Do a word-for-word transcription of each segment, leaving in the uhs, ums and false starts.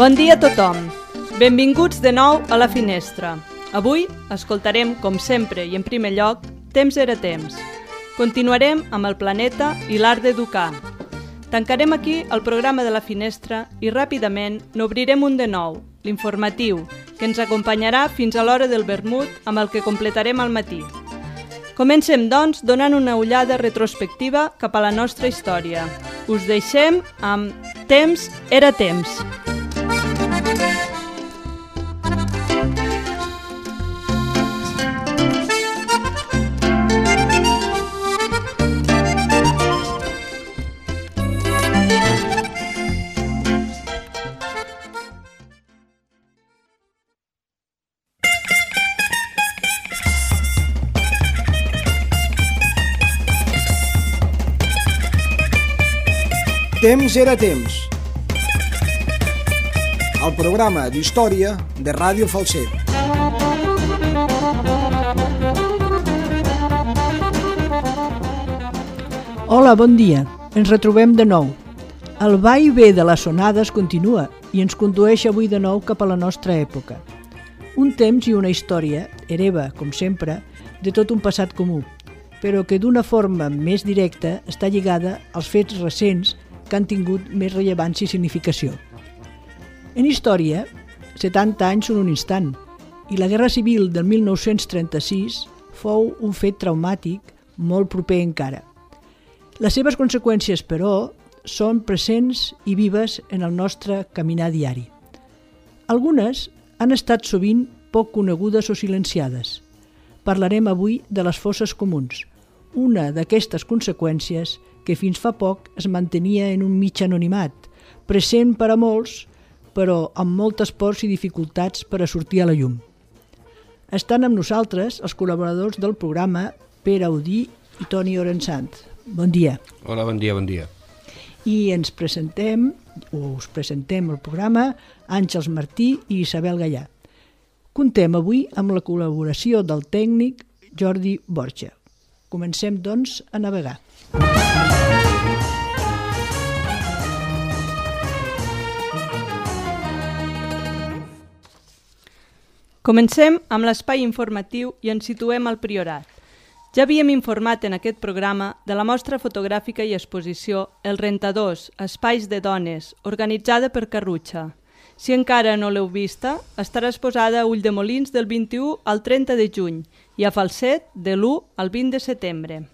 Bon dia a tothom. Benvinguts de nou a La Finestra. Avui escoltarem, com sempre i en primer lloc, Temps era temps. Continuarem amb el planeta i l'art d'educar. Tancarem aquí el programa de La Finestra i ràpidament n'obrirem un de nou, l'informatiu, que ens acompanyarà fins a l'hora del vermut amb el que completarem al matí. Comencem, doncs, donant una ullada retrospectiva cap a la nostra història. Us deixem amb Temps era temps. Temps era temps. El programa d'història de Ràdio Falset. Hola, bon dia. Ens retrobem de nou. El va i ve de les sonades continua i ens condueix avui de nou cap a la nostra època. Un temps i una història hereva, com sempre, de tot un passat comú, però que d'una forma més directa està lligada als fets recents que han tingut més rellevància i significació. En història, setanta anys són un instant, i la Guerra Civil del mil nou-cents trenta-sis fou un fet traumàtic molt proper encara. Les seves conseqüències, però, són presents i vives en el nostre caminar diari. Algunes han estat sovint poc conegudes o silenciades. Parlarem avui de les fosses comuns, una d'aquestes conseqüències que fins fa poc es mantenia en un mig anonimat, present per a molts, però amb moltes pors i dificultats per a sortir a la llum. Estan amb nosaltres els col·laboradors del programa Pere Audí i Toni Orensant. Bon dia. Hola, bon dia, bon dia. I ens presentem, o us presentem el programa, Àngels Martí i Isabel Gallà. Contem avui amb la col·laboració del tècnic Jordi Borja. Comencem, doncs, a navegar. Comencem amb l'espai informatiu i ens situem al Priorat. Ja havíem informat en aquest programa de la mostra fotogràfica i exposició El Rentadors, Espais de Dones, organitzada per Carrutxa. Si encara no l'heu vista, estarà exposada a Ulldemolins del vint-i-u al trenta de juny i a Falset de l'u al vint de setembre.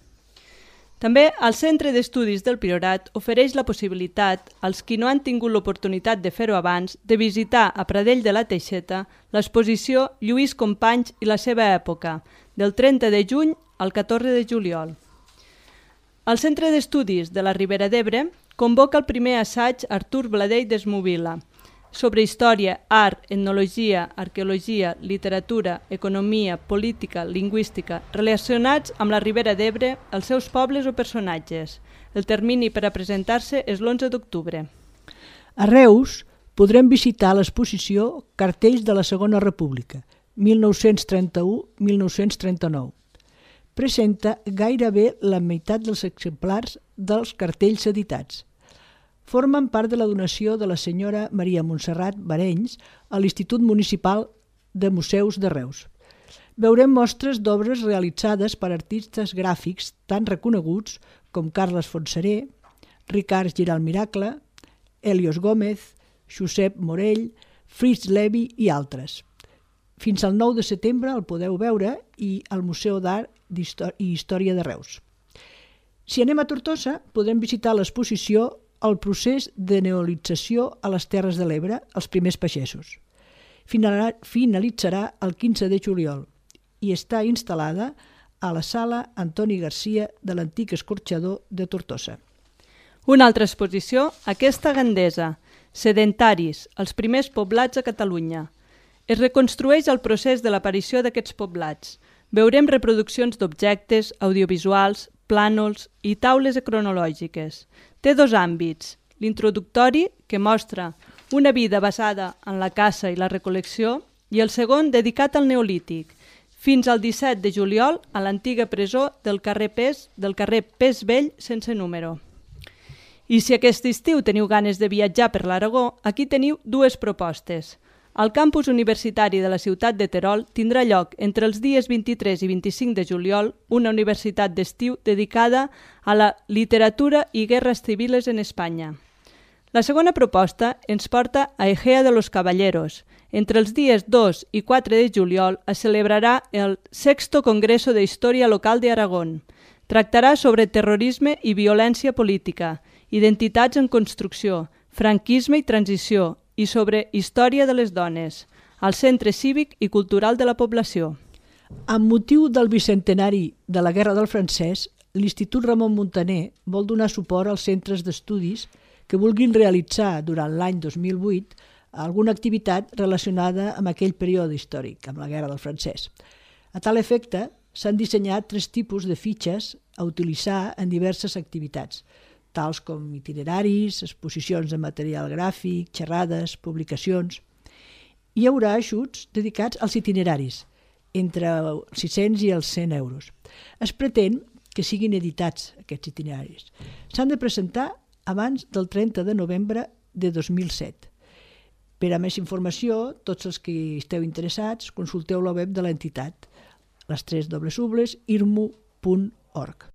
També el Centre d'Estudis del Priorat ofereix la possibilitat, als qui no han tingut l'oportunitat de fer-ho abans, de visitar a Pradell de la Teixeta l'exposició Lluís Companys i la seva època, del trenta de juny al catorze de juliol. El Centre d'Estudis de la Ribera d'Ebre convoca el primer assaig Artur Bladell d'Esmovila, sobre història, art, etnologia, arqueologia, literatura, economia, política, lingüística, relacionats amb la Ribera d'Ebre, els seus pobles o personatges. El termini per a presentar-se és l'onze d'octubre. A Reus podrem visitar l'exposició Cartells de la Segona República, mil nou-cents trenta-u a mil nou-cents trenta-nou. Presenta gairebé la meitat dels exemplars dels cartells editats. Formen part de la donació de la senyora Maria Montserrat Barenys a l'Institut Municipal de Museus de Reus. Veurem mostres d'obres realitzades per artistes gràfics tan reconeguts com Carles Fontseré, Ricard Giral Miracle, Helios Gómez, Josep Morell, Fritz Levi i altres. Fins al nou de setembre el podeu veure i al Museu d'Art i Història de Reus. Si anem a Tortosa, podem visitar l'exposició El procés de neolització a les Terres de l'Ebre, els primers pagesos. Finalitzarà el quinze de juliol i està instal·lada a la sala Antoni Garcia de l'antic escorxador de Tortosa. Una altra exposició, aquesta gandesa, Sedentaris, els primers poblats a Catalunya. Es reconstrueix el procés de l'aparició d'aquests poblats. Veurem reproduccions d'objectes, audiovisuals, plànols i taules cronològiques. Té dos àmbits, l'introductori, que mostra una vida basada en la caça i la recol·lecció, i el segon dedicat al Neolític, fins al disset de juliol a l'antiga presó del carrer Pes, del carrer Pes Vell sense número. I si aquest estiu teniu ganes de viatjar per l'Aragó, aquí teniu dues propostes. El campus universitari de la ciutat de Terol tindrà lloc entre els dies vint-i-tres i vint-i-cinc de juliol una universitat d'estiu dedicada a la literatura i guerres civiles en Espanya. La segona proposta ens porta a Egea de los Caballeros. Entre els dies dos i quatre de juliol es celebrarà el Sexto Congreso de Història Local de Aragón. Tractarà sobre terrorisme i violència política, identitats en construcció, franquisme i transició i sobre història de les dones, al Centre Cívic i Cultural de la Població. Amb motiu del bicentenari de la Guerra del Francès, l'Institut Ramon Muntaner vol donar suport als centres d'estudis que vulguin realitzar durant l'any dos mil vuit alguna activitat relacionada amb aquell període històric, amb la Guerra del Francès. A tal efecte, s'han dissenyat tres tipus de fitxes a utilitzar en diverses activitats, tals com itineraris, exposicions de material gràfic, xerrades, publicacions. Hi haurà ajuts dedicats als itineraris, entre els sis-cents i els cent euros. Es pretén que siguin editats aquests itineraris. S'han de presentar abans del trenta de novembre de dos mil set. Per a més informació, tots els que esteu interessats, consulteu la web de l'entitat, les tres dobles ubles, irmu punt org.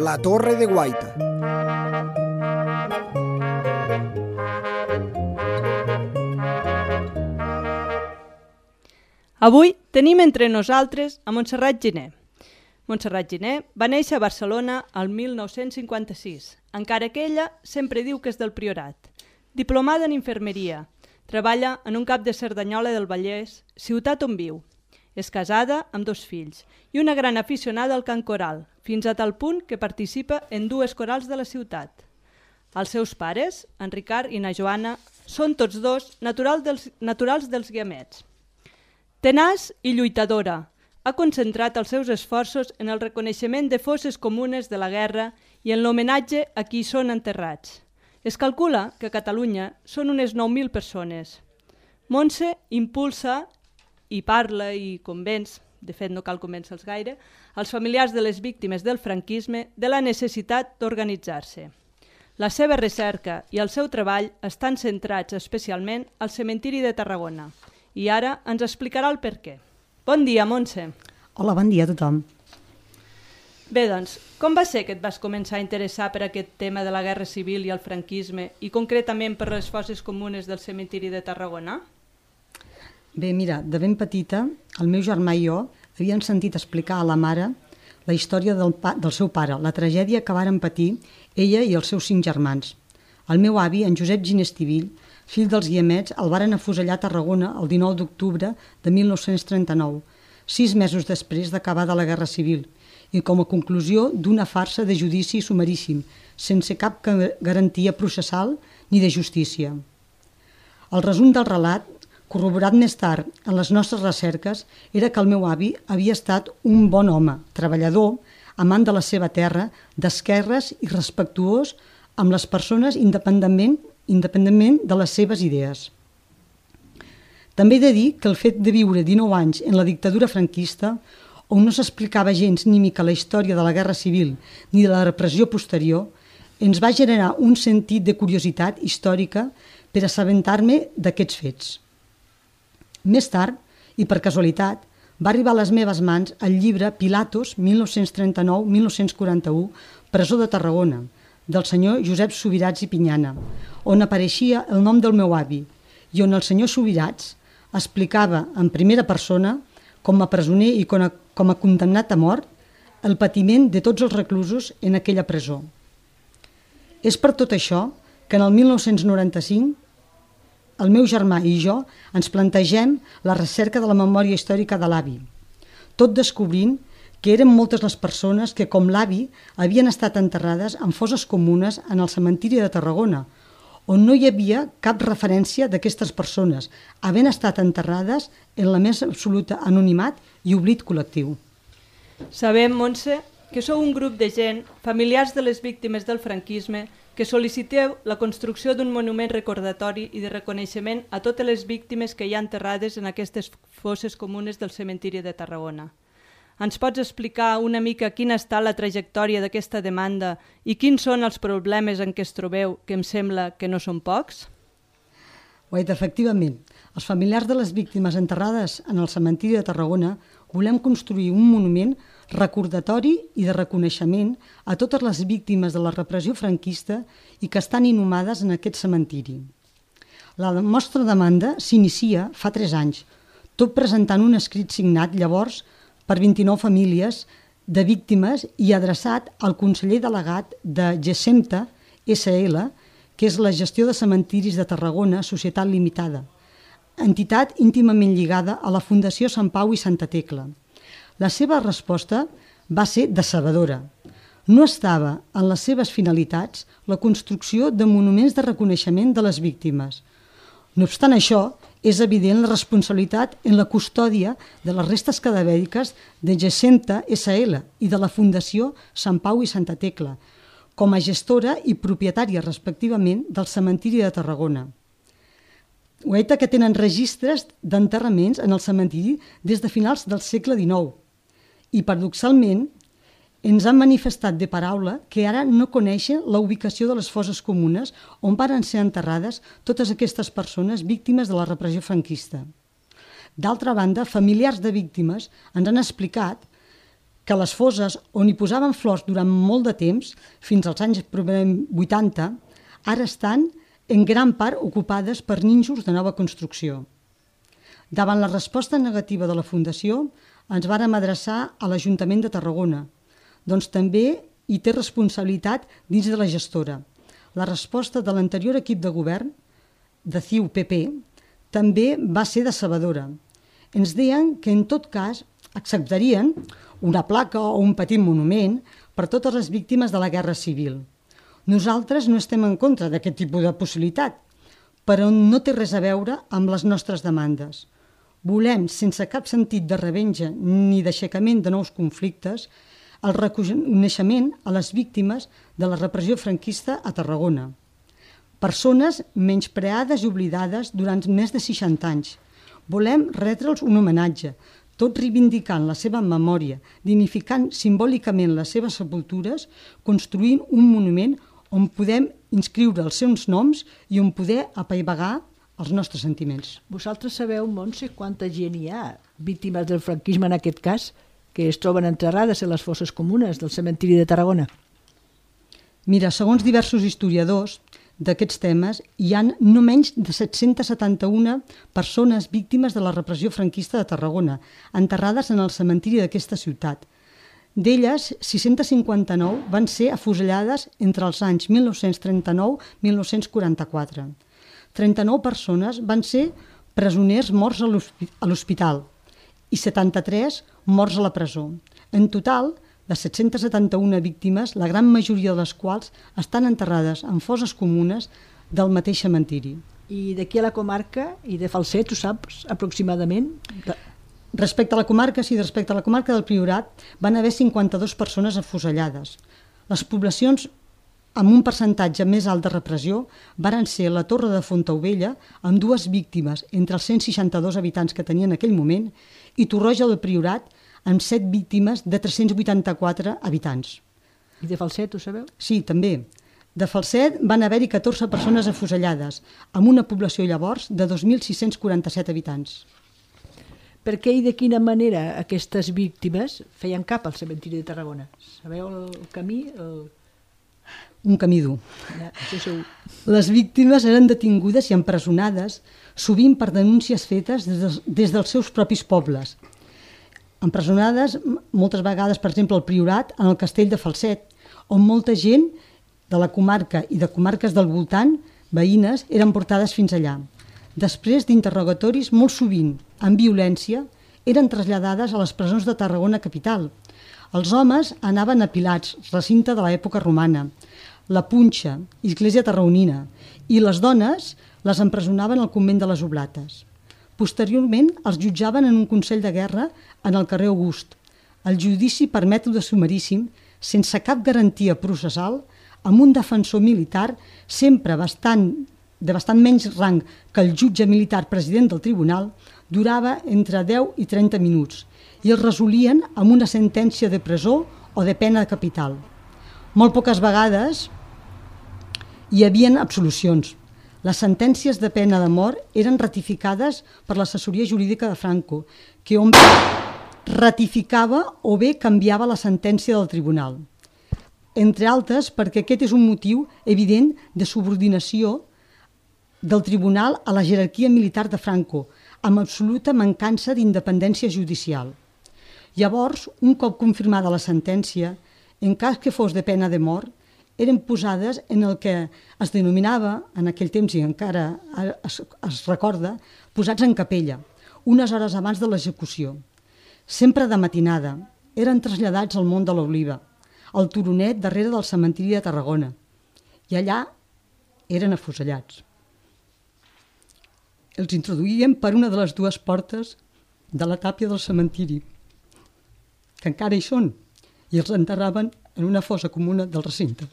La Torre de Guaita. Avui tenim entre nosaltres a Montserrat Giner. Montserrat Giner va néixer a Barcelona el mil nou-cents cinquanta-sis, encara que ella sempre diu que és del Priorat. Diplomada en infermeria, treballa en un cap de Cerdanyola del Vallès, ciutat on viu. És casada amb dos fills i una gran aficionada al cant coral, fins a tal punt que participa en dues corals de la ciutat. Els seus pares, en Ricard i na Joana, són tots dos natural dels, naturals dels Guiamets. Tenaç i lluitadora, ha concentrat els seus esforços en el reconeixement de fosses comunes de la guerra i en l'homenatge a qui són enterrats. Es calcula que a Catalunya són unes nou mil persones. Montse impulsa i parla i convenç, de fet no cal convèncer-los gaire, als familiars de les víctimes del franquisme de la necessitat d'organitzar-se. La seva recerca i el seu treball estan centrats especialment al cementiri de Tarragona i ara ens explicarà el per què. Bon dia, Montse. Hola, bon dia a tothom. Bé, doncs, com va ser que et vas començar a interessar per aquest tema de la guerra civil i el franquisme i concretament per les fosses comunes del cementiri de Tarragona? Bé, mira, de ben petita, el meu germà i jo havíem sentit explicar a la mare la història del, pa, del seu pare, la tragèdia que varen patir ella i els seus cinc germans. El meu avi, en Josep Giner Estivill, fill dels Guiamets, el varen afusellar a Tarragona el dinou d'octubre de mil nou-cents trenta-nou, sis mesos després d'acabada la Guerra Civil, i com a conclusió d'una farsa de judici sumaríssim, sense cap garantia processal ni de justícia. El resum del relat, corroborat més tard en les nostres recerques, era que el meu avi havia estat un bon home, treballador, amant de la seva terra, d'esquerres i respectuós amb les persones independentment, independentment de les seves idees. També he de dir que el fet de viure dinou anys en la dictadura franquista, on no s'explicava gens ni mica la història de la Guerra Civil ni de la repressió posterior, ens va generar un sentit de curiositat històrica per assabentar-me d'aquests fets. Més tard, i per casualitat, va arribar a les meves mans el llibre Pilatos, mil nou-cents trenta-nou a mil nou-cents quaranta-u, Presó de Tarragona, del senyor Josep Subirats i Pinyana, on apareixia el nom del meu avi i on el senyor Subirats explicava en primera persona, com a presoner i com a, com a condemnat a mort, el patiment de tots els reclusos en aquella presó. És per tot això que en el mil nou-cents noranta-cinc el meu germà i jo ens plantegem la recerca de la memòria històrica de l'avi, tot descobrint que eren moltes les persones que, com l'avi, havien estat enterrades en fosses comunes en el cementiri de Tarragona, on no hi havia cap referència d'aquestes persones, havent estat enterrades en la més absoluta anonimat i oblit col·lectiu. Sabem, Montse, que sou un grup de gent, familiars de les víctimes del franquisme, que sol·liciteu la construcció d'un monument recordatori i de reconeixement a totes les víctimes que hi ha enterrades en aquestes fosses comunes del cementiri de Tarragona. Ens pots explicar una mica quina ha estat la trajectòria d'aquesta demanda i quins són els problemes en què es trobeu, que em sembla que no són pocs? Guaita, efectivament, els familiars de les víctimes enterrades en el cementiri de Tarragona volem construir un monument recordatori i de reconeixement a totes les víctimes de la repressió franquista i que estan inhumades en aquest cementiri. La nostra demanda s'inicia fa tres anys, tot presentant un escrit signat llavors per vint-i-nou famílies de víctimes i adreçat al conseller delegat de Gessemta essa ele, que és la gestió de cementiris de Tarragona, Societat Limitada, entitat íntimament lligada a la Fundació Sant Pau i Santa Tecla. La seva resposta va ser decebedora. No estava en les seves finalitats la construcció de monuments de reconeixement de les víctimes. No obstant això, és evident la responsabilitat en la custòdia de les restes cadavèriques de Gessemta essa ele i de la Fundació Sant Pau i Santa Tecla, com a gestora i propietària, respectivament, del cementiri de Tarragona. Guaita, que tenen registres d'enterraments en el cementiri des de finals del segle dinou. I, paradoxalment, ens han manifestat de paraula que ara no coneixen la ubicació de les fosses comunes on van ser enterrades totes aquestes persones víctimes de la repressió franquista. D'altra banda, familiars de víctimes ens han explicat que les fosses on hi posaven flors durant molt de temps, fins als anys vuitanta, ara estan en gran part ocupades per nínxols de nova construcció. Davant la resposta negativa de la Fundació, ens vàrem adreçar a l'Ajuntament de Tarragona, doncs també hi té responsabilitat dins de la gestora. La resposta de l'anterior equip de govern, de C I U P P, també va ser decebedora. Ens deien que en tot cas acceptarien una placa o un petit monument per totes les víctimes de la Guerra Civil. Nosaltres no estem en contra d'aquest tipus de possibilitat, però no té res a veure amb les nostres demandes. Volem, sense cap sentit de revenja ni d'aixecament de nous conflictes, el reconeixement a les víctimes de la repressió franquista a Tarragona. Persones menyspreades i oblidades durant més de seixanta anys. Volem retre'ls un homenatge, tot reivindicant la seva memòria, dignificant simbòlicament les seves sepultures, construint un monument on podem inscriure els seus noms i on poder apaivagar els nostres sentiments. Vosaltres sabeu, Montse, quanta gent hi ha víctimes del franquisme en aquest cas, que es troben enterrades a les fosses comunes del cementiri de Tarragona? Mira, segons diversos historiadors d'aquests temes, hi ha no menys de set-cents setanta-u persones víctimes de la repressió franquista de Tarragona, enterrades en el cementiri d'aquesta ciutat. D'elles, sis-cents cinquanta-nou van ser afusellades entre els anys mil nou-cents trenta-nou i mil nou-cents quaranta-quatre. trenta-nou persones van ser presoners morts a l'hospital i setanta-tres morts a la presó. En total, de set-cents setanta-u víctimes, la gran majoria de les quals estan enterrades en fosses comunes del mateix cementiri. I d'aquí a la comarca i de Falset, ho saps aproximadament? Respecte a la comarca, sí, respecte a la comarca del Priorat, van haver cinquanta-dues persones afusellades. Les poblacions amb un percentatge més alt de repressió varen ser la Torre de Fontaubella, amb dues víctimes entre els cent seixanta-dos habitants que tenien en aquell moment, i Torroja del Priorat, amb set víctimes de tres-cents vuitanta-quatre habitants. I de Falset, ho sabeu? Sí, també. De Falset van haver-hi catorze persones afusellades, amb una població llavors de dos mil sis-cents quaranta-set habitants. Per què i de quina manera aquestes víctimes feien cap al cementiri de Tarragona? Sabeu el camí? El... Un camí dur. Ja, això segur. Les víctimes eren detingudes i empresonades, sovint per denúncies fetes des, de, des dels seus propis pobles. Empresonades moltes vegades, per exemple, al Priorat, en el castell de Falset, on molta gent de la comarca i de comarques del voltant, veïnes, eren portades fins allà. Després d'interrogatoris molt sovint amb violència, eren traslladades a les presons de Tarragona capital. Els homes anaven apilats, recinte de l'època romana, la Punxa, església tarragonina, i les dones les empresonaven al convent de les Oblates. Posteriorment els jutjaven en un consell de guerra en el carrer August. El judici per mètode sumaríssim, sense cap garantia processal, amb un defensor militar sempre bastant, de bastant menys rang que el jutge militar president del tribunal, durava entre deu i trenta minuts i es resolien amb una sentència de presó o de pena capital. Molt poques vegades hi havien absolucions. Les sentències de pena de mort eren ratificades per l'assessoria jurídica de Franco, que on ratificava o bé canviava la sentència del tribunal. Entre altres, perquè aquest és un motiu evident de subordinació del tribunal a la jerarquia militar de Franco, amb absoluta mancança d'independència judicial. Llavors, un cop confirmada la sentència, en cas que fos de pena de mort, eren posades en el que es denominava, en aquell temps i encara es, es recorda, posats en capella, unes hores abans de l'execució. Sempre de matinada, eren traslladats al Mont de l'Oliva, al turonet darrere del cementiri de Tarragona, i allà eren afusellats. Els introduïen per una de les dues portes de la tàpia del cementiri, que encara hi són, i els enterraven en una fossa comuna del recinte.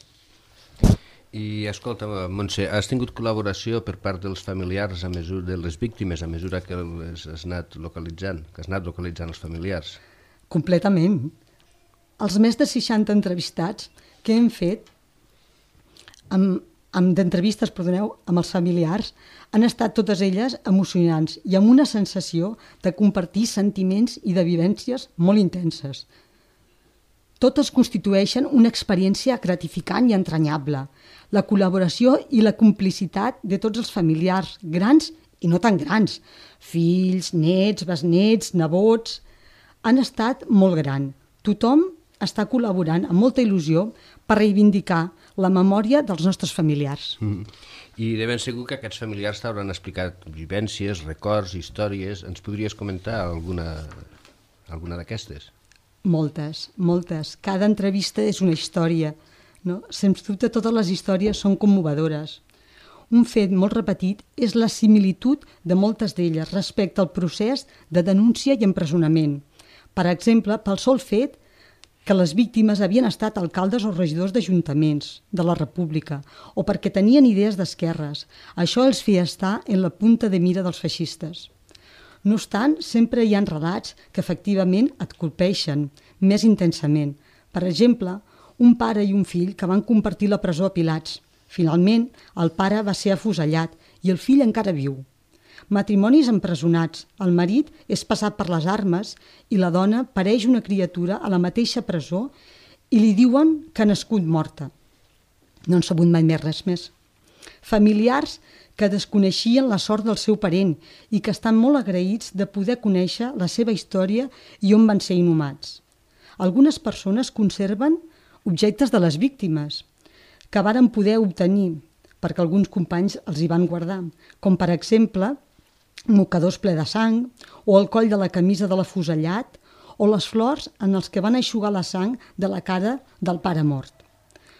I escolta, Montse, has tingut col·laboració per part dels familiars a mesura de les víctimes a mesura que has anat localitzant, que has anat localitzant els familiars? Completament. Els més de seixanta entrevistats que hem fet amb, amb d'entrevistes, perdoneu, amb els familiars han estat totes elles emocionants i amb una sensació de compartir sentiments i de vivències molt intenses. Totes constitueixen una experiència gratificant i entranyable. La col·laboració i la complicitat de tots els familiars, grans i no tan grans, fills, nets, besnets, nebots, han estat molt gran. Tothom està col·laborant amb molta il·lusió per reivindicar la memòria dels nostres familiars. Mm. I de ben segur que aquests familiars t'hauran explicat vivències, records, històries. Ens podries comentar alguna, alguna d'aquestes? Moltes, moltes. Cada entrevista és una història, no? Sens dubte totes les històries són commovedores. Un fet molt repetit és la similitud de moltes d'elles respecte al procés de denúncia i empresonament. Per exemple, pel sol fet que les víctimes havien estat alcaldes o regidors d'ajuntaments de la República o perquè tenien idees d'esquerres. Això els feia estar en la punta de mira dels feixistes. No obstant, sempre hi ha relats que efectivament et colpeixen més intensament. Per exemple, un pare i un fill que van compartir la presó a Pilats. Finalment, el pare va ser afusellat i el fill encara viu. Matrimonis empresonats. El marit és passat per les armes i la dona pareix una criatura a la mateixa presó i li diuen que ha nascut morta. No han sabut mai més res més. Familiars que desconeixien la sort del seu parent i que estan molt agraïts de poder conèixer la seva història i on van ser inhumats. Algunes persones conserven objectes de les víctimes que varen poder obtenir perquè alguns companys els hi van guardar, com per exemple mocadors ple de sang o el coll de la camisa de l'afusellat o les flors en els que van eixugar la sang de la cara del pare mort.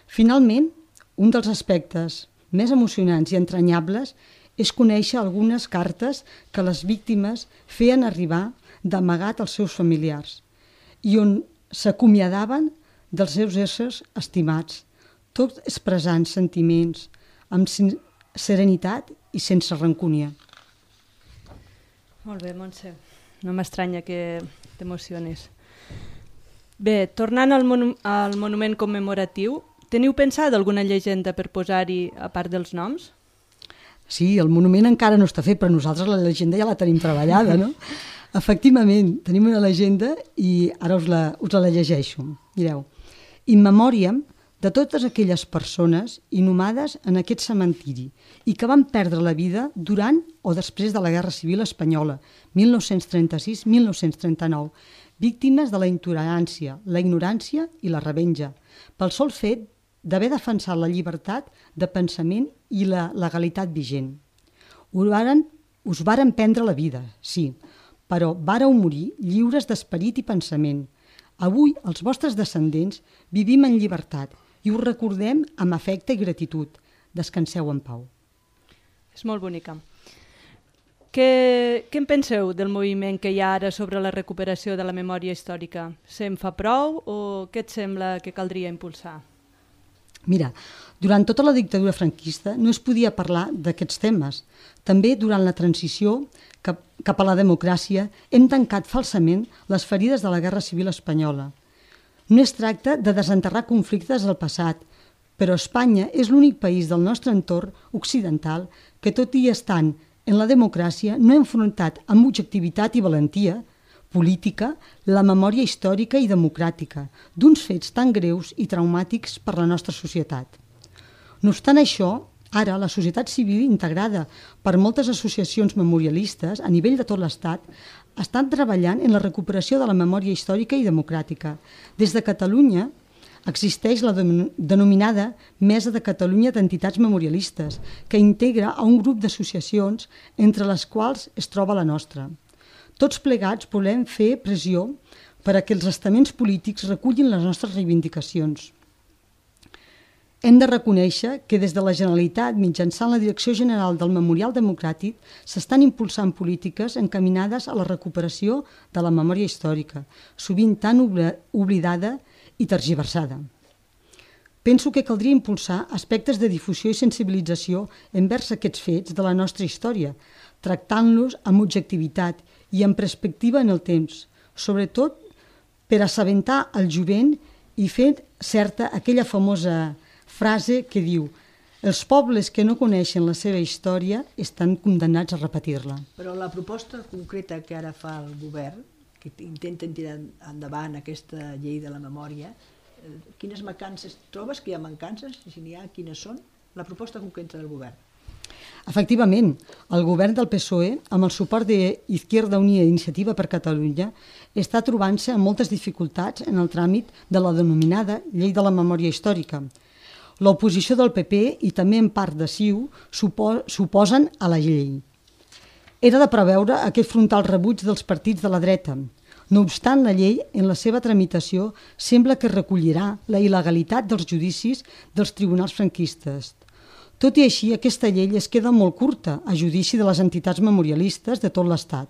Finalment, un dels aspectes més emocionants i entranyables és conèixer algunes cartes que les víctimes feien arribar d'amagat als seus familiars i on s'acomiadaven dels seus éssers estimats, tot expressant sentiments amb serenitat i sense rancúnia. Molt bé, Montse. No m'estranya que t'emocionis. Bé, tornant al, monu al monument commemoratiu, teniu pensat alguna llegenda per posar-hi a part dels noms? Sí, el monument encara no està fet, però nosaltres la llegenda ja la tenim treballada, no? Efectivament, tenim una llegenda i ara us la, us la llegeixo. Mireu, in memòriam de totes aquelles persones inhumades en aquest cementiri i que van perdre la vida durant o després de la Guerra Civil Espanyola, mil nou-cents trenta-sis a mil nou-cents trenta-nou, víctimes de la intolerància, la ignorància i la revenja, pel sol fet d'haver defensat la llibertat de pensament i la legalitat vigent. Us varen, us varen prendre la vida, sí, però vàreu morir lliures d'esperit i pensament. Avui, els vostres descendents, vivim en llibertat i us recordem amb afecte i gratitud. Descanseu en pau. És molt bonica. Què, què en penseu del moviment que hi ha ara sobre la recuperació de la memòria històrica? Se'n fa prou o què et sembla que caldria impulsar? Mira, durant tota la dictadura franquista no es podia parlar d'aquests temes. També durant la transició cap, cap a la democràcia hem tancat falsament les ferides de la Guerra Civil Espanyola. No es tracta de desenterrar conflictes del passat, però Espanya és l'únic país del nostre entorn occidental que, tot i estant en la democràcia, no ha enfrontat amb objectivitat i valentia política la memòria històrica i democràtica d'uns fets tan greus i traumàtics per la nostra societat. No obstant això, ara la societat civil, integrada per moltes associacions memorialistes a nivell de tot l'Estat, estan treballant en la recuperació de la memòria històrica i democràtica. Des de Catalunya existeix la denominada Mesa de Catalunya d'Entitats Memorialistes, que integra a un grup d'associacions entre les quals es troba la nostra. Tots plegats volem fer pressió per a que els estaments polítics recullin les nostres reivindicacions. Hem de reconèixer que des de la Generalitat, mitjançant la Direcció General del Memorial Democràtic, s'estan impulsant polítiques encaminades a la recuperació de la memòria històrica, sovint tan oblidada i tergiversada. Penso que caldria impulsar aspectes de difusió i sensibilització envers aquests fets de la nostra història, tractant-los amb objectivitat i amb perspectiva en el temps, sobretot per assabentar el jovent i fer certa aquella famosa frase que diu: els pobles que no coneixen la seva història estan condemnats a repetir-la. Però la proposta concreta que ara fa el govern, que intenten tirar endavant aquesta llei de la memòria, quines mancances trobes, que hi ha mancances, i si n'hi ha, quines són? La proposta concreta del govern. Efectivament, el govern del P S O E, amb el suport d'Izquierda Unida i Iniciativa per Catalunya, està trobant-se amb moltes dificultats en el tràmit de la denominada Llei de la Memòria Històrica. L'oposició del P P i també en part de C I U s'oposen a la llei. Era de preveure aquest frontal rebuig dels partits de la dreta. No obstant, la llei, en la seva tramitació, sembla que recollirà la il·legalitat dels judicis dels tribunals franquistes. Tot i així, aquesta llei es queda molt curta a judici de les entitats memorialistes de tot l'Estat.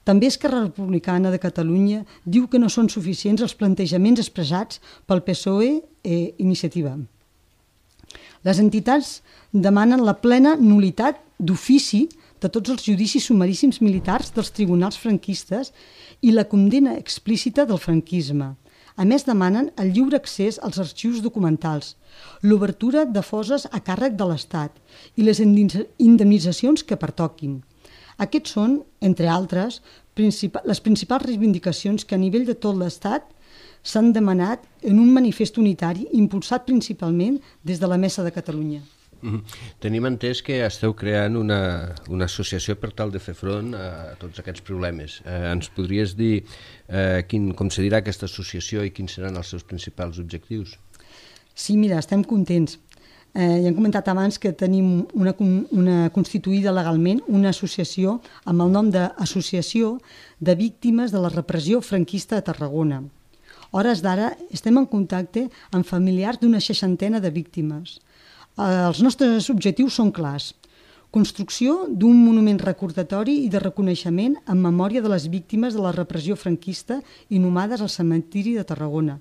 També Esquerra Republicana de Catalunya diu que no són suficients els plantejaments expressats pel P S O E i Iniciativa. Les entitats demanen la plena nul·litat d'ofici de tots els judicis sumaríssims militars dels tribunals franquistes i la condemna explícita del franquisme. A més, demanen el lliure accés als arxius documentals, l'obertura de fosses a càrrec de l'Estat i les indemnitzacions que pertoquin. Aquests són, entre altres, les principals reivindicacions que a nivell de tot l'Estat s'han demanat en un manifest unitari impulsat principalment des de la Mesa de Catalunya. Mm-hmm. Tenim entès que esteu creant una, una associació per tal de fer front a tots aquests problemes. Eh, ens podries dir eh, quin, com se dirà aquesta associació i quins seran els seus principals objectius? Sí, mira, estem contents. Eh, ja hem comentat abans que tenim una, una constituïda legalment una associació amb el nom d'Associació de Víctimes de la Repressió Franquista de Tarragona. A hores d'ara estem en contacte amb familiars d'una seixantena de víctimes. Els nostres objectius són clars. Construcció d'un monument recordatori i de reconeixement en memòria de les víctimes de la repressió franquista inhumades al cementiri de Tarragona.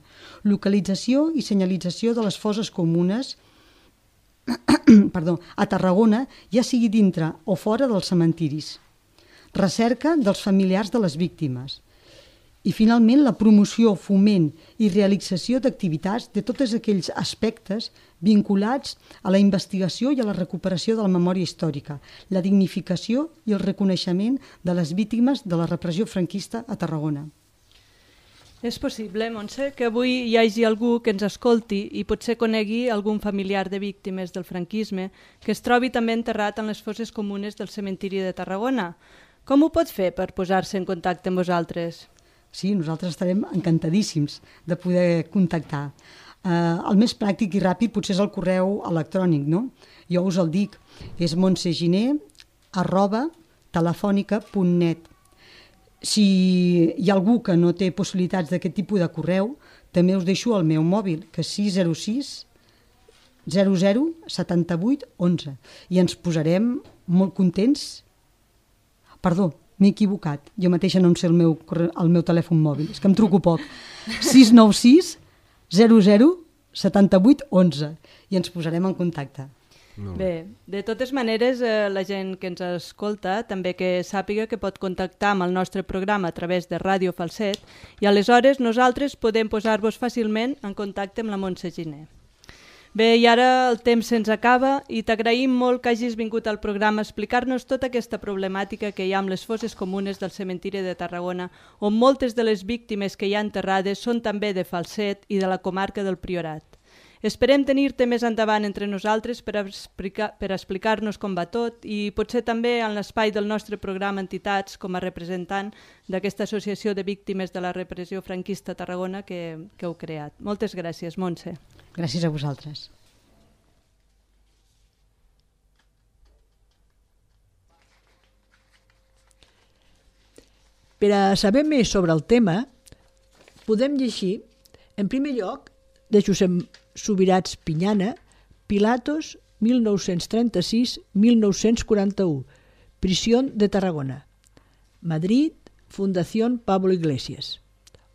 Localització i senyalització de les fosses comunes perdó, a Tarragona, ja sigui dintre o fora dels cementiris. Recerca dels familiars de les víctimes. I, finalment, la promoció, foment i realització d'activitats de tots aquells aspectes vinculats a la investigació i a la recuperació de la memòria històrica, la dignificació i el reconeixement de les víctimes de la repressió franquista a Tarragona. És possible, Montse, que avui hi hagi algú que ens escolti i potser conegui algun familiar de víctimes del franquisme que es trobi també enterrat en les fosses comunes del cementiri de Tarragona. Com ho pot fer per posar-se en contacte amb vosaltres? Sí, nosaltres estarem encantadíssims de poder contactar. Eh, el més pràctic i ràpid potser és el correu electrònic, no? Jo us el dic, és montseginer arroba telefònica punt net. Si hi ha algú que no té possibilitats d'aquest tipus de correu, també us deixo el meu mòbil, que és sis zero sis zero zero setanta vuit onze, i ens posarem molt contents perdó, m'he equivocat. Jo mateixa no em sé el meu, el meu telèfon mòbil, és que em truco poc. sis nou sis zero zero set vuit onze i ens posarem en contacte. Bé, de totes maneres, eh, la gent que ens escolta també que sàpiga que pot contactar amb el nostre programa a través de Ràdio Falset i aleshores nosaltres podem posar-vos fàcilment en contacte amb la Montse Giner. Bé, i ara el temps se'ns acaba i t'agraïm molt que hagis vingut al programa a explicar-nos tota aquesta problemàtica que hi ha amb les fosses comunes del cementiri de Tarragona, on moltes de les víctimes que hi ha enterrades són també de Falset i de la comarca del Priorat. Esperem tenir-te més endavant entre nosaltres per, explicar, per explicar-nos com va tot i potser també en l'espai del nostre programa Entitats com a representant d'aquesta associació de víctimes de la repressió franquista a Tarragona que, que heu creat. Moltes gràcies, Montse. Gràcies a vosaltres. Per a saber més sobre el tema, podem llegir, en primer lloc, de Josep Subirats Pinyana, Pilatos, mil nou-cents trenta-sis a mil nou-cents quaranta-u, Prisión de Tarragona, Madrid, Fundación Pablo Iglesias.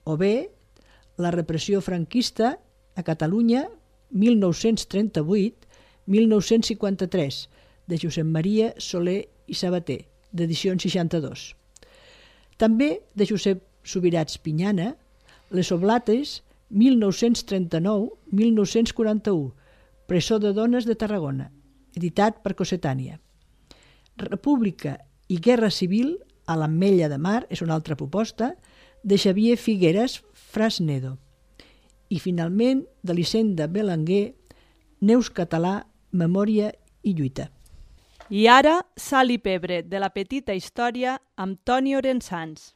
O bé, La repressió franquista a Catalunya, mil nou-cents trenta-vuit a mil nou-cents cinquanta-tres, de Josep Maria Soler i Sabater, d'edició seixanta-dos. També de Josep Subirats Pinyana, Les Oblates, mil nou-cents trenta-nou a mil nou-cents quaranta-u, Presó de dones de Tarragona, editat per Cossetània. República i Guerra Civil a l'Ametlla de Mar, és una altra proposta, de Xavier Figueres Frasnedo. I finalment, d'Elisenda Belenguer, Neus Català, Memòria i Lluita. I ara, Sal i pebre, de la petita història, amb Toni Orensans.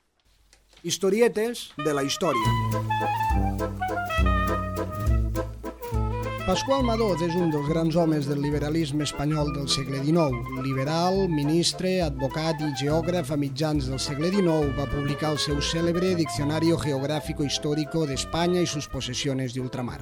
Historietes de la història. Pasqual Madoz és un dels grans homes del liberalisme espanyol del segle dinou. Liberal, ministre, advocat i geògraf a mitjans del segle dinou, va publicar el seu cèlebre Diccionario Geográfico Histórico d'Espanya i sus possessiones de ultramar.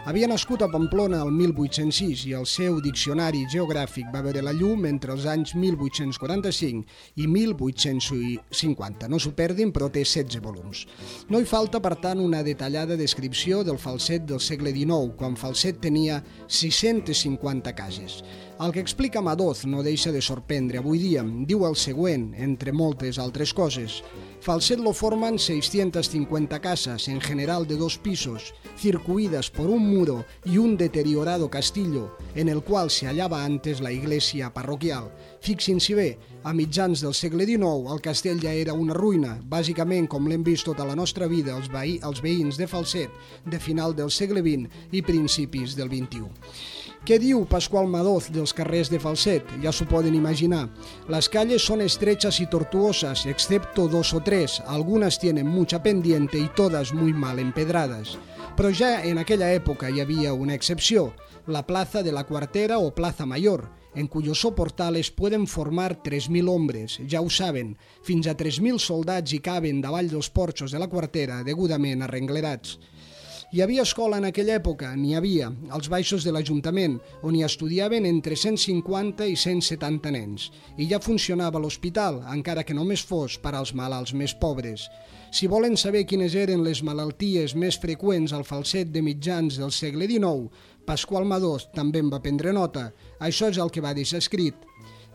Havia nascut a Pamplona el mil vuit-cents sis i el seu diccionari geogràfic va veure la llum entre els anys mil vuit-cents quaranta-cinc i mil vuit-cents cinquanta. No s'ho perdin, però té setze volums. No hi falta, per tant, una detallada descripció del Falset del segle dinou, quan Falset tenia sis-centes cinquanta cases. El que explica Madoz no deixa de sorprendre avui dia. Diu el següent, entre moltes altres coses. Falset lo forman seiscientas cincuenta casas, en general de dos pisos, circuidas por un muro y un deteriorado castillo, en el cual se hallaba antes la iglesia parroquial. Fixin-s'hi bé, a mitjans del segle dinou el castell ja era una ruïna, bàsicament com l'hem vist tota la nostra vida els, veí, els veïns de Falset de final del segle vint i principis del vint-i-u. Què diu Pasqual Madoz dels carrers de Falset? Ja s'ho poden imaginar. Las calles son estrechas y tortuosas, excepto dos o tres. Algunas tienen mucha pendiente y todas muy mal empedradas. Però ja en aquella època hi havia una excepció, la plaza de la Cuartera o Plaza Mayor, en cuyos soportales pueden formar tres mil hombres, ja ho saben, fins a tres mil soldats hi caben davall dels porxos de la Cuartera degudament arrenglerats. Hi havia escola en aquella època? N'hi havia, als baixos de l'Ajuntament, on hi estudiaven entre cent cinquanta i cent setanta nens. I ja funcionava l'hospital, encara que només fos per als malalts més pobres. Si volen saber quines eren les malalties més freqüents al Falset de mitjans del segle dinou, Pasqual Madoz també en va prendre nota. Això és el que va deixar escrit.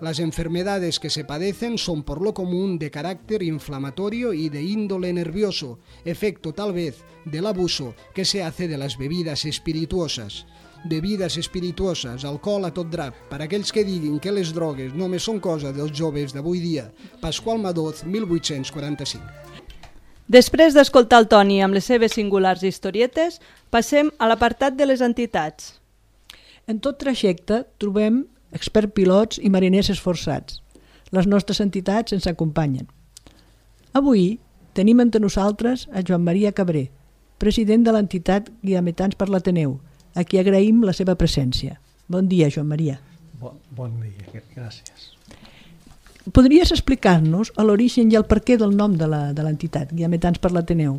Las enfermedades que se padecen son por lo común de carácter inflamatorio y de índole nervioso, efecto tal vez del abuso que se hace de las bebidas espirituosas. Bebides espirituoses, alcohol a tot drap, per aquells que diguin que les drogues només són cosa dels joves d'avui dia. Pasqual Madoz, mil vuit-cents quaranta-cinc. Després d'escoltar el Toni amb les seves singulars historietes, passem a l'apartat de les entitats. En tot trajecte trobem experts pilots i mariners esforçats. Les nostres entitats ens acompanyen. Avui tenim entre nosaltres a Joan Maria Cabré, president de l'entitat Guiametans per l'Ateneu, a qui agraïm la seva presència. Bon dia, Joan Maria. Bon, bon dia, gràcies. Podries explicar-nos l'origen i el perquè del nom de l'entitat, Guiametans per l'Ateneu?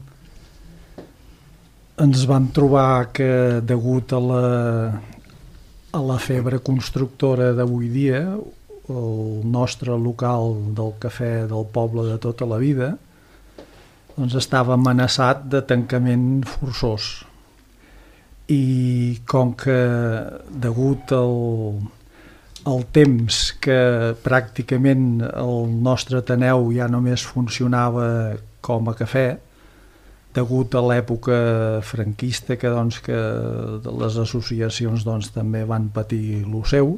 Ens vam trobar que, degut a la, a la febre constructora d'avui dia, el nostre local del cafè del poble de tota la vida, doncs estava amenaçat de tancament forçós. I com que, degut al, al temps que pràcticament el nostre Ateneu ja només funcionava com a cafè, degut a l'època franquista que, doncs, que les associacions doncs, també van patir lo seu,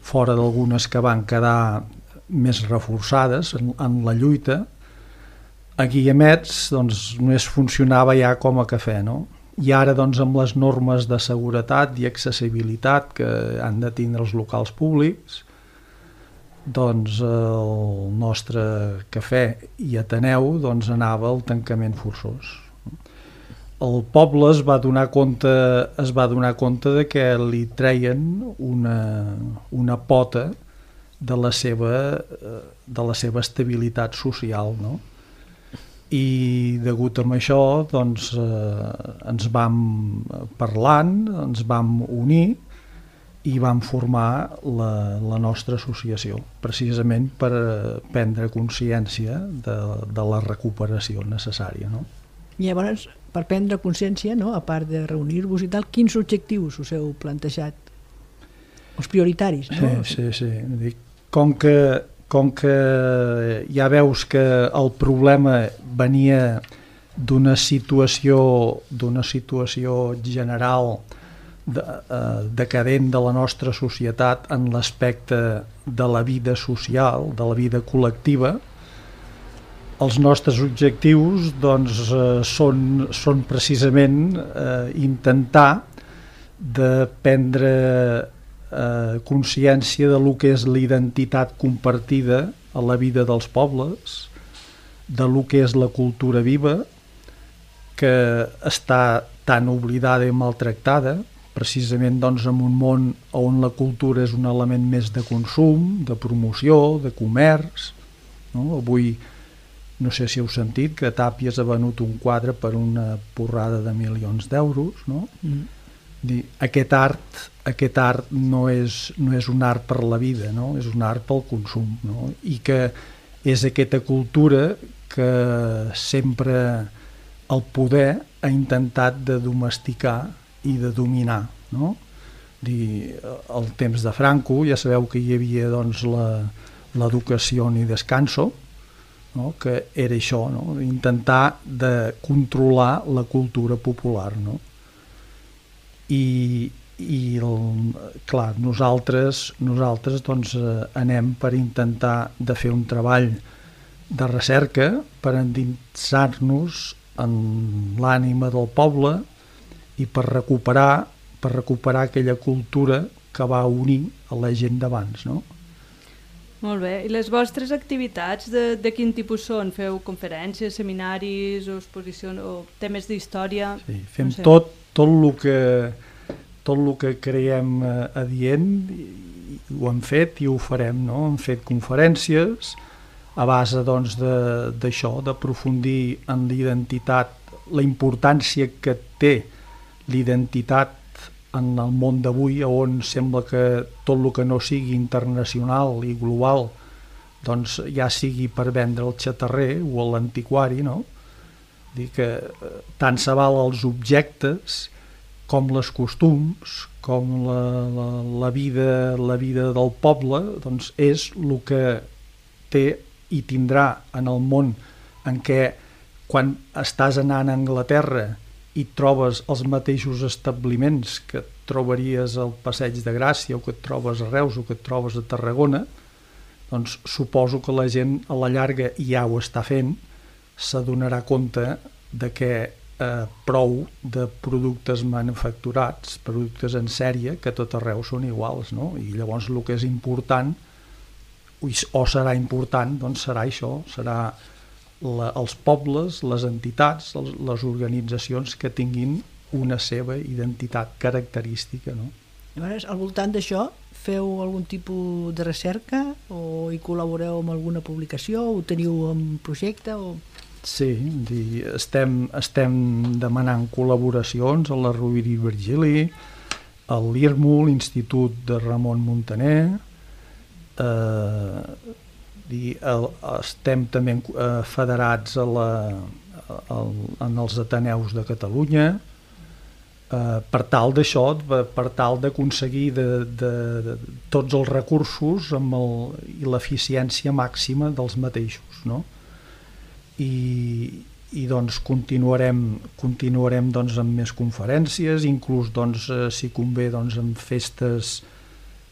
fora d'algunes que van quedar més reforçades en, en la lluita, a Guillemets doncs, només funcionava ja com a cafè, no? I ara doncs, amb les normes de seguretat i accessibilitat que han de tindre els locals públics, doncs el nostre cafè i Ateneu doncs, anava al tancament forçós. El poble es va donar compte, es va donar compte de que li treien una, una pota de la seva, de la seva estabilitat social, no? I degut a això doncs, eh, ens vam parlant, ens vam unir i vam formar la, la nostra associació, precisament per prendre consciència de, de la recuperació necessària, no? I llavors, per prendre consciència, no, a part de reunir-vos i tal, quins objectius us heu plantejat? Els prioritaris, no? Sí, sí, sí. Com que, com que ja veus que el problema venia d'una situació, d'una situació general de, eh, decadent de la nostra societat en l'aspecte de la vida social, de la vida col·lectiva, els nostres objectius doncs, eh, són, són precisament eh, intentar de prendre eh, consciència de lo que és la identitat compartida a la vida dels pobles, de lo que és la cultura viva, que està tan oblidada i maltractada, precisament doncs, en un món on la cultura és un element més de consum, de promoció, de comerç, no? Avui no sé si heu sentit que Tàpies ha venut un quadre per una porrada de milions d'euros, no? Mm. Dir, aquest art, aquest art no és, no és un art per la vida, no? És un art pel consum, no? I que és aquesta cultura que sempre el poder ha intentat de domesticar i de dominar, no? Dir, al temps de Franco ja sabeu que hi havia doncs, l'educació i descanso, no? Que era això, no? Intentar de controlar la cultura popular, no? I, i el, clar, nosaltres, nosaltres doncs, anem per intentar de fer un treball de recerca per endinsar-nos en l'ànima del poble i per recuperar, per recuperar aquella cultura que va unir a la gent d'abans, no? Molt bé. I les vostres activitats de, de quin tipus són? Feu conferències, seminaris o exposicions o temes d'història? Sí, fem no sé. tot, tot el que, tot el que creiem adient, ho hem fet i ho farem, no? Hem fet conferències a base doncs, d'això, d'aprofundir en l'identitat, la importància que té l'identitat en el món d'avui, on sembla que tot el que no sigui internacional i global doncs ja sigui per vendre el xatarrer o l'antiquari, no? Dir que tant se val els objectes com les costums, com la, la, la, vida, la vida del poble, doncs és el que té i tindrà en el món en què quan estàs anant a Anglaterra i trobes els mateixos establiments que et trobaries al Passeig de Gràcia o que et trobes a Reus o que et trobes a Tarragona, doncs suposo que la gent a la llarga ja ho està fent, s'adonarà compte de que eh, prou de productes manufacturats, productes en sèrie, que tot arreu són iguals, no? I llavors el que és important, o serà important, doncs serà això, serà La, els pobles, les entitats, les, les organitzacions que tinguin una seva identitat característica, no? Llavors, al voltant d'això, feu algun tipus de recerca o hi col·laboreu amb alguna publicació o teniu un projecte? O... Sí, dir, estem, estem demanant col·laboracions a la Rovira i Virgili, a l'I R M U, l'Institut de Ramon Muntaner, eh, dir, el, estem també eh, federats a la, a, en els Ateneus de Catalunya, eh, per tal d'això, per tal d'aconseguir de, de, de, tots els recursos amb el, i l'eficiència màxima dels mateixos, no? I, i doncs continuarem, continuarem doncs, amb més conferències, inclús doncs, eh, si convé doncs, amb festes,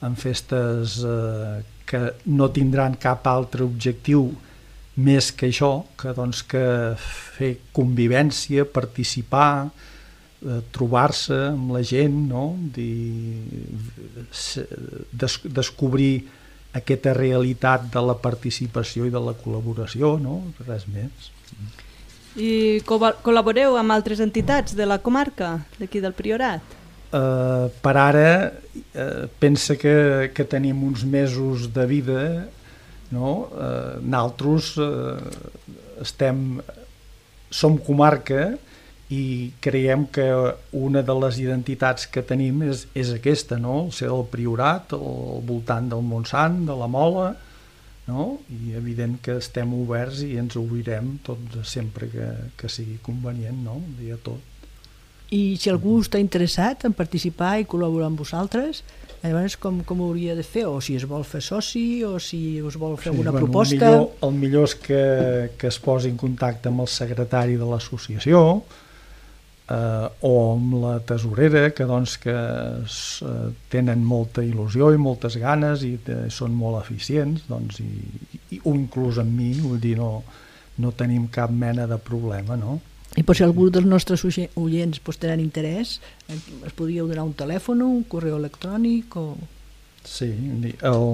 amb festes eh, que no tindran cap altre objectiu més que això, que, doncs, que fer convivència, participar, eh, trobar-se amb la gent, no? Dir, des, descobrir aquesta realitat de la participació i de la col·laboració, no? Res més. I col·laboreu amb altres entitats de la comarca, d'aquí del Priorat? Uh, per ara, uh, pensa que, que tenim uns mesos de vida, no? Uh, nosaltres uh, estem, som comarca i creiem que una de les identitats que tenim és, és aquesta, no? El ser del Priorat, al voltant del Montsant, de la Mola, no? I evident que estem oberts i ens obrirem tot sempre que, que sigui convenient, no? I a tot. I si algú està interessat en participar i col·laborar amb vosaltres, llavors com, com ho hauria de fer? O si es vol fer soci, o si us vol fer sí, alguna bueno, proposta? El millor, el millor és que, que es posi en contacte amb el secretari de l'associació, eh, o amb la tesorera, que, doncs, que es, eh, tenen molta il·lusió i moltes ganes i de, són molt eficients, doncs, i, i, o inclús amb mi, vull dir, no, no tenim cap mena de problema, no? I per si algú dels nostres oients pues, tenen interès, es podríeu donar un telèfon, un correu electrònic o... Sí, el,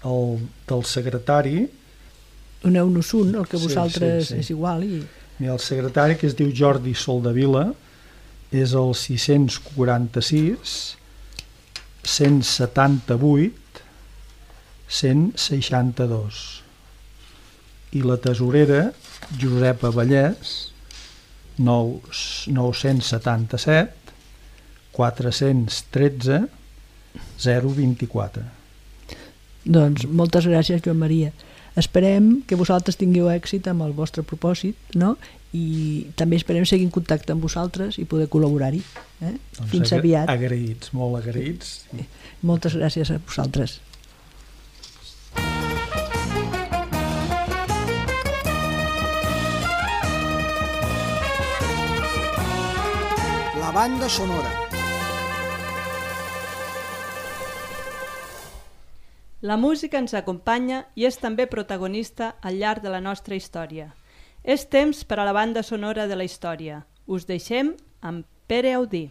el del secretari... Doneu-nos un, el que sí, vosaltres sí, sí. és igual. I... Mira, el secretari, que es diu Jordi Soldavila, és el sis quaranta-sis cent setanta-vuit cent seixanta-dos. I la tesorera, Josepa Vallès, nou-cents setanta-set quatre-cents tretze zero vint-i-quatre. Doncs moltes gràcies, Joan Maria. Esperem que vosaltres tingueu èxit amb el vostre propòsit, no? I també esperem seguir en contacte amb vosaltres i poder col·laborar-hi. Eh? Doncs Fins aviat. Agraïts, molt agraïts. Moltes gràcies a vosaltres. La banda sonora. La música ens acompanya i és també protagonista al llarg de la nostra història. És temps per a la banda sonora de la història. Us deixem amb Pere Audí.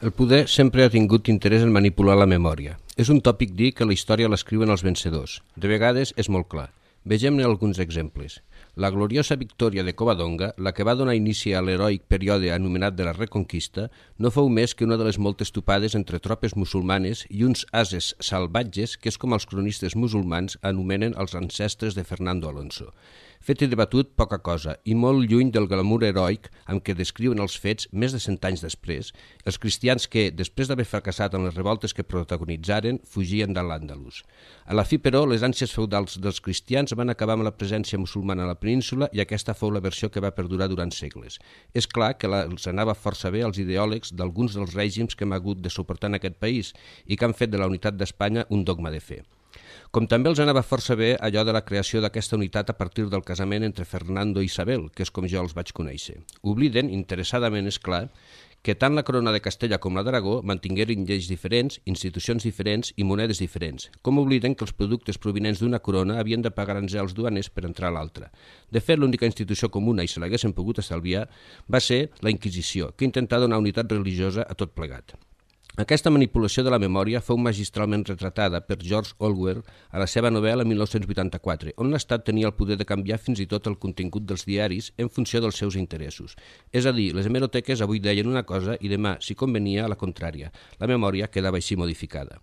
El poder sempre ha tingut interès en manipular la memòria. És un tòpic dir que la història l'escriuen els vencedors. De vegades és molt clar. Vegem-ne alguns exemples. La gloriosa victòria de Covadonga, la que va donar inici a l'heroic període anomenat de la Reconquista, no fou més que una de les moltes topades entre tropes musulmanes i uns ases salvatges que és com els cronistes musulmans anomenen els ancestres de Fernando Alonso. Fet i debatut, poca cosa, i molt lluny del glamour heroic amb què descriuen els fets més de cent anys després, els cristians que, després d'haver fracassat en les revoltes que protagonitzaren, fugien de l'Àndalus. A la fi, però, les ànsies feudals dels cristians van acabar amb la presència musulmana a la península i aquesta fou la versió que va perdurar durant segles. És clar que els anava força bé als ideòlegs d'alguns dels règims que hem hagut de suportar en aquest país i que han fet de la unitat d'Espanya un dogma de fe. Com també els anava força bé allò de la creació d'aquesta unitat a partir del casament entre Fernando i Isabel, que és com jo els vaig conèixer. Obliden, interessadament és clar, que tant la corona de Castella com la d'Aragó mantingueren lleis diferents, institucions diferents i monedes diferents, com obliden que els productes provinents d'una corona havien de pagar aranzels duaners per entrar a l'altra. De fet, l'única institució comuna, i se l'haguessin pogut estalviar, va ser la Inquisició, que intentà donar unitat religiosa a tot plegat. Aquesta manipulació de la memòria fou magistralment retratada per George Orwell a la seva novel·la mil nou-cents vuitanta-quatre, on l'Estat tenia el poder de canviar fins i tot el contingut dels diaris en funció dels seus interessos. És a dir, les hemeroteques avui deien una cosa i demà, si convenia, la contrària. La memòria quedava així modificada.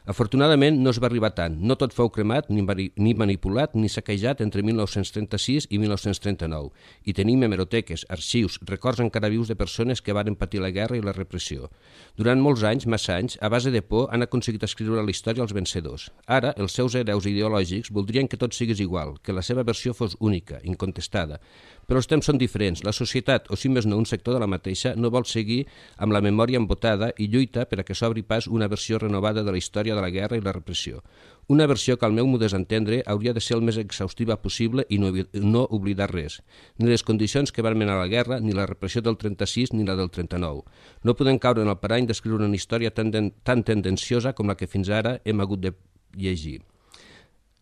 Afortunadament no es va arribar tant, no tot fou cremat, ni, ni manipulat, ni saquejat entre mil nou-cents trenta-sis i mil nou-cents trenta-nou, i tenim hemeroteques, arxius, records encara vius de persones que varen patir la guerra i la repressió. Durant molts anys, massa anys, a base de por han aconseguit escriure la història als vencedors. Ara, els seus hereus ideològics voldrien que tot sigués igual, que la seva versió fos única, incontestada. Però els temps són diferents. La societat, o si més no un sector de la mateixa, no vol seguir amb la memòria embotada i lluita per a que s'obri pas una versió renovada de la història de la guerra i la repressió. Una versió que, al meu modest entendre, hauria de ser el més exhaustiva possible i no, no oblidar res. Ni les condicions que van menar la guerra, ni la repressió del trenta-sis, ni la del trenta-nou. No podem caure en el parany d'escriure una història tan, tan tendenciosa com la que fins ara hem hagut de llegir.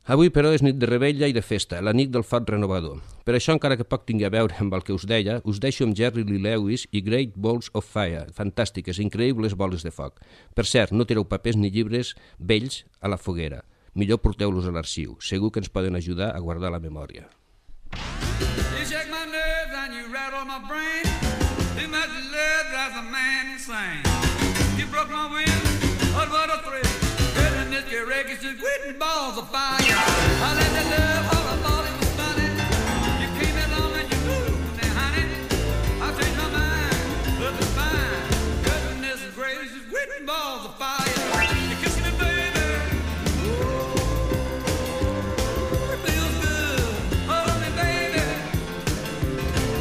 Avui, però, és nit de revetlla i de festa, la nit del foc renovador. Per això, encara que poc tingui a veure amb el que us deia, us deixo amb Jerry Lee Lewis i Great Balls of Fire, fantàstiques, increïbles boles de foc. Per cert, no tireu papers ni llibres vells a la foguera. Millor porteu-los a l'arxiu. Segur que ens poden ajudar a guardar la memòria. You shake my nerves and you rattle my brain. Too much love drives a man insane. You broke my will, but what a thrill. Goodness, your records just quitting balls of fire. I let the love all I thought it was funny. You came along and you moved me, honey. I changed my mind, love is fine. Goodness gracious, quitting balls of fire. You kiss me, baby. Ooh, it feels good. Hold me, baby.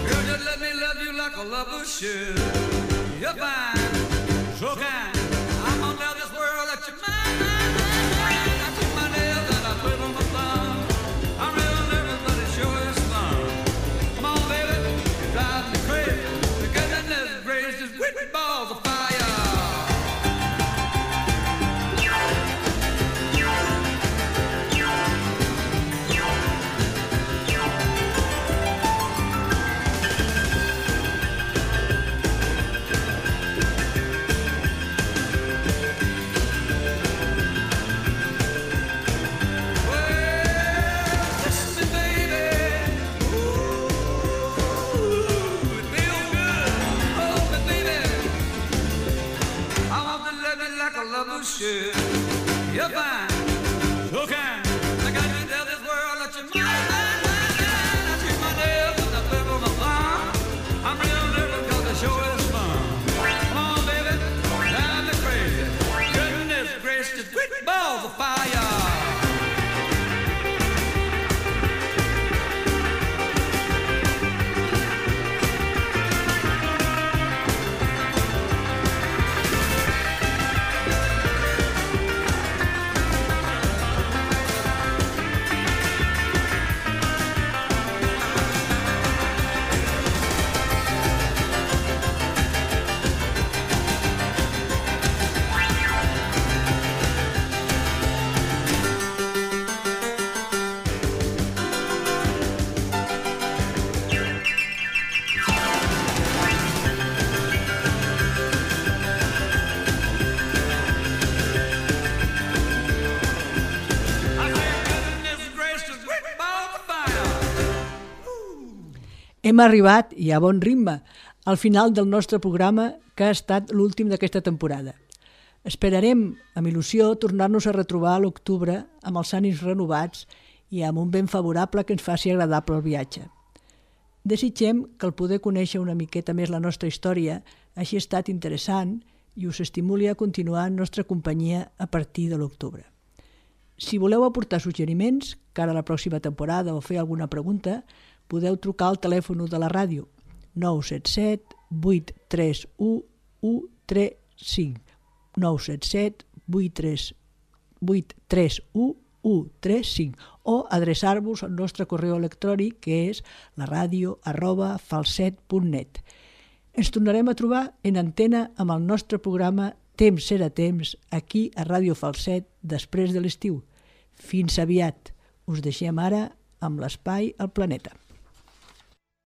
Girl, just let me love you like a lover should. You're fine, so kind. I'm gonna tell this world that you're mine. Balls of fire. Should. You're fine, so kind. I got to tell this world that you're mine, mine, mine, mine. I treat my nails and I flip on my thumb. I'm real nervous cause the show is fun. Come on, baby, drive me crazy. Goodness gracious, quick balls of fire. Hem arribat, i a bon ritme, al final del nostre programa, que ha estat l'últim d'aquesta temporada. Esperarem, amb il·lusió, tornar-nos a retrobar a l'octubre amb els ànims renovats i amb un vent favorable que ens faci agradable el viatge. Desitgem que el poder conèixer una miqueta més la nostra història hagi estat interessant i us estimuli a continuar en nostra companyia a partir de l'octubre. Si voleu aportar suggeriments cara a la pròxima temporada o fer alguna pregunta, podeu trucar al telèfon de la ràdio nou set set vuit tres u u tres cinc nou set set vuit tres u u tres cinc o adreçar-vos al nostre correu electrònic que és la ràdio arroba falset punt net. Ens tornarem a trobar en antena amb el nostre programa Temps serà temps aquí a Ràdio Falset després de l'estiu. Fins aviat. Us deixem ara amb l'espai al planeta.